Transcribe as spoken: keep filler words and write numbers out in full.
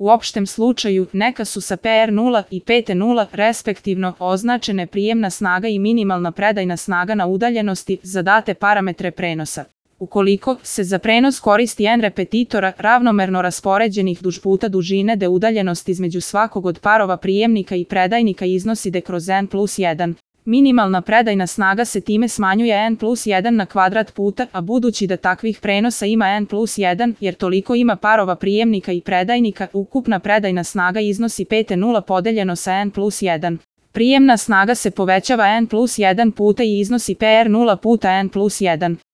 U opštem slučaju, neka su sa P R nula i P T nula, respektivno, označene prijemna snaga i minimalna predajna snaga na udaljenosti za date parametre prenosa. Ukoliko se za prenos koristi N repetitora ravnomerno raspoređenih duž puta dužine D udaljenost između svakog od parova prijemnika i predajnika iznosi D kroz N plus jedan. Minimalna predajna snaga se time smanjuje N plus jedan na kvadrat puta, a budući da takvih prenosa ima N plus jedan, jer toliko ima parova prijemnika i predajnika, ukupna predajna snaga iznosi P T nula podeljeno sa N plus jedan. Prijemna snaga se povećava N plus jedan puta i iznosi P R nula puta N plus jedan.